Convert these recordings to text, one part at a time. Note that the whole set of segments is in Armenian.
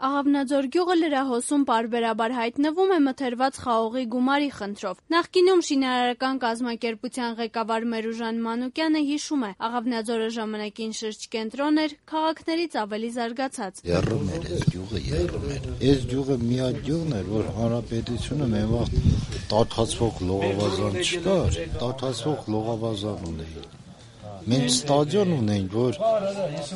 Աղավնաձոր գյուղը լրահոսում պարբերաբար հայտնվում է մթերված խաղողի գումարի խնդրով։ Նախկինում շինարարական կազմակերպության ղեկավար Մերուժան Մանուկյանը հիշում է, Աղավնաձորը ժամանակին շրջկենտրոն էր, քաղաքներից ավելի զարգացած։ Եռում էր այս գյուղը, եռում էր։ Այս գյուղը միակ գյուղն էր, որ հանրապետությունը մեն վաղ տաքացվող լողավազան չկար, տաքացվող լողավազան ունեին։ Մենք ստադիոն ունենք, որ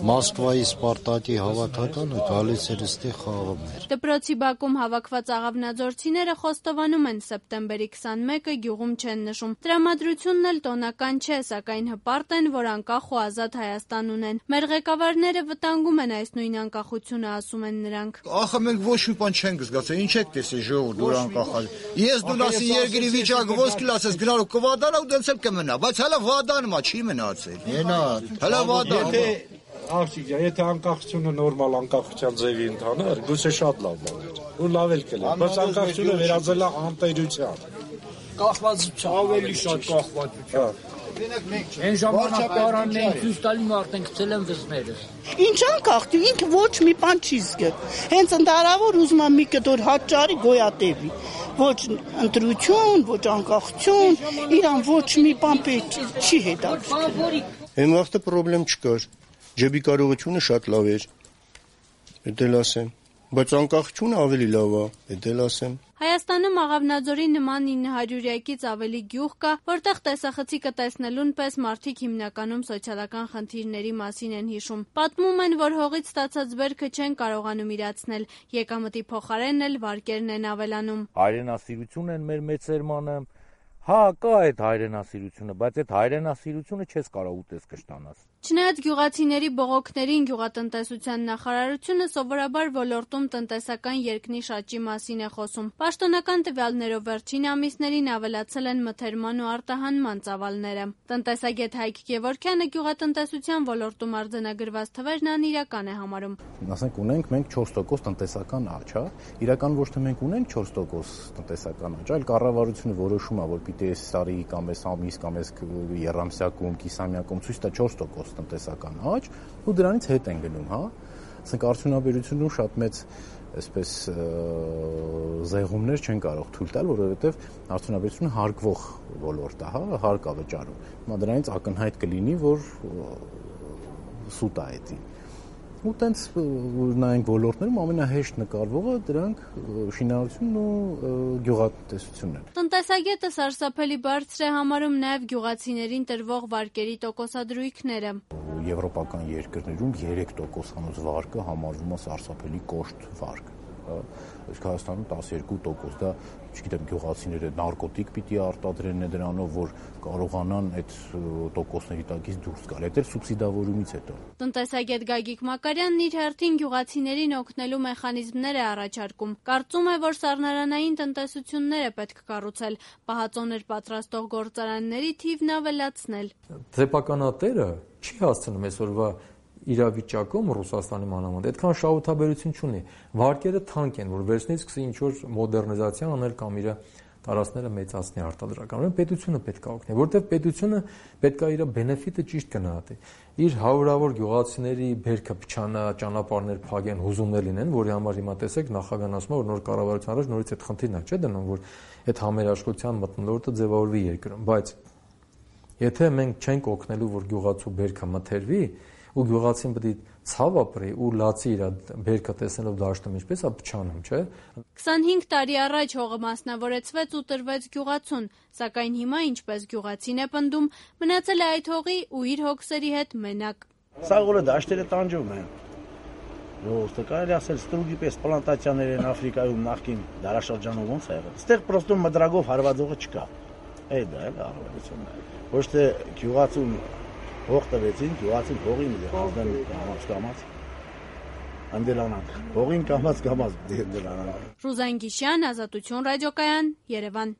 Մոսկվայի Սպարտակի հավաքականը գալիս էր այստեղ խաղում էր։ Դպրոցի բակում հավաքված աղավնաձորցիները խոստովանում են, սեպտեմբերի 21-ը գյուղում չեն նշում։ Տրամադրությունն էլ տոնական չէ, սակայն հպարտ են, որ անկախ ու ազատ Հայաստան ունեն։ Մեր ղեկավարները վտանգում են այս նույն անկախությունը, ասում են նրանք։ Ախը մենք ոչ մի բան չենք զգացել, ինչ եք տեսել ժողովուրդ դուր անկախալ։ Ես դու ասի երկրի վիճակը ոսկի լացես գնալու կվադանա ու դենցել կմնա, բայց հələ վադանումա չի մնացել։ Հələ վադան։ Աղջիկ, եթե անկախությունը նորմալ անկախության ձևի ընթաներ, գուցե շատ լավ բան էր։ Ու լավ էլ կլիներ, բայց անկախությունը վերածել է անտերության։ Կախվածության, ավելի շատ կախվածության։ Այն ժամանակ պարանն էին ցույց տալի մարդեն գցել են վզները։ Ինչ անկախ, ինքը ոչ մի բան չի զգել։ Հենց ընդհանրավոր ուզում եմ մի կտոր հաճարի գոյատևի։ Ոչ ընտրություն, ոչ անկախություն, իրան ոչ մի բան չի հետաքրքրում։ Այն վաղտը պրոբլեմ չկար։ Ջեբի կարողությունը շատ լավ էր, էդ ասեմ, բայց անկախությունը ավելի լավ է, էդ ասեմ։ Հայաստանում Աղավնաձորի նման 900-ից ավելի գյուղ կա, որտեղ տեսախցիկը տեսնելուն պես մարդիկ հիմնականում սոցիալական խնդիրների մասին են հիշում։ Պատմում են, որ հողից ստացած բերքը չեն կարողանում իրացնել, եկամտի փոխարեն էլ վարկերն են ավելանում։ Հայրենասիրություն են մեր մեծ սերմանը, հա, կա այդ հայրենասիրությունը, բայց այդ հայրենասիրությունը չես կարող ուտես կշտանաս։ Չնայած գյուղացիների բողոքներին գյուղատնտեսության նախարարությունը սովորաբար ոլորտում տնտեսական երկնի շաճի մասին է խոսում։ Պաշտոնական տվյալներով վերջին ամիսներին ավելացել են մթերման ու արտահանման ծավալները։ Տնտեսագետ Հայկ Գևորգյանը գյուղատնտեսության ոլորտում արձանագրված թվերն անիրական է համարում։ Ասենք ունենք մենք 4% տնտեսական աճ, հա։ Իրական ոչ թե մենք ունենք 4% տնտեսական աճ, այլ կառավարությունը որոշում է, որ պիտի այս տարի կամ այս ամիս կամ այս երամսյակում, կիսամյակում ցույց տա 4% տնտեսական աճ ու դրանից հետ են գնում, հա։ Ասենք արդյունաբերությունում շատ մեծ այսպես զեղումներ չեն կարող թույլ տալ, որովհետև արդյունաբերությունը հարկվող ոլորտ է, հա, հարկ է վճարում։ Հիմա դրանից ակնհայտ կլինի, որ սուտ է էդի։ Ու տենց նայենք ոլորտներում ամենահեշտ նկարվողը դրանք շինարարությունն ու գյուղատնտեսությունն են։ Տնտեսագետը սարսափելի բարձր է համարում նաև գյուղացիներին տրվող վարկերի տոկոսադրույքները։ Եվրոպական երկրներում 3%-անոց վարկը համարվում է սարսափելի կոշտ վարկ։ Իսկ Հայաստանում 12%, դա, չգիտեմ, գյուղացիները նարկոտիկ պիտի արտադրեն դրանով, որ կարողանան այդ տոկոսների տակից դուրս գալ։ Այդ էլ սուբսիդավորումից հետո։ Տնտեսագետ Գագիկ Մակարյանն իր հերթին գյուղացիներին օգնելու մեխանիզմներ է առաջարկում։ Կարծում է, որ սառնարանային տնտեսություններ է պետք կառուցել, պահածոներ պատրաստող գործարանների թիվն ավելացնել։ Ձեպականատերը չի հասցնում այսօրվա իրավիճակում Ռուսաստանի մանավանդ այդքան շահութաբերություն չունի։ Վարկերը թանկ են, որ վերցնի սկսի ինչ-որ մոդեռնիզացիա անել կամ իր տարածքները մեծացնի արտադրական։ Ուրեմն պետությունը պետք է օգնի, որտեղ պետությունը պետք է իր բենեֆիտը ճիշտ գնահատի։ Իր հարյուրավոր գյուղացիների բերքը փչանա, ճանապարհներ փակեն, հուզումներ լինեն, որի համար հիմա տեսեք նախագահն ասում է, որ նոր կառավարության առաջ նորից այդ խնդիրն է, չէ՞ դնում, որ այդ համերաշխության մթնոլորտը ձևավորվի երկրում, բայց եթե մենք չենք օգնելու, որ գյուղացու բերքը մթերվի, ու գյուղացին պետք է ցավ ապրի ու լացի իր բերքը տեսնելով դաշտում ինչպես է փչանում, չէ։ 25 տարի առաջ հողը մասնավորեցվեց ու տրվեց գյուղացուն, սակայն հիմա ինչպես գյուղացին է պնդում, մնացել է այդ հողի ու իր հոգսերի հետ մենակ։ Սա որը դաշտերը տանջում են։ Ո՞ստը կարելի ասել ստրուգի պես պլանտացիաներ են Աֆրիկայում նախկին դարաշրջանում ոնց է եղել։ Այստեղ պրոստում մդրագով հարվածողը չկա։ Այդ դա էլ առավելությունն է։ Ոչ թե գյուղացուն հող տվեցին, գյուղացին հողին ազդեն կամաց, անդելանանք, հողին կամաց, դելանանք։ Ռուզան Գիշյան, Ազատություն ռադիոկայան, Երևան։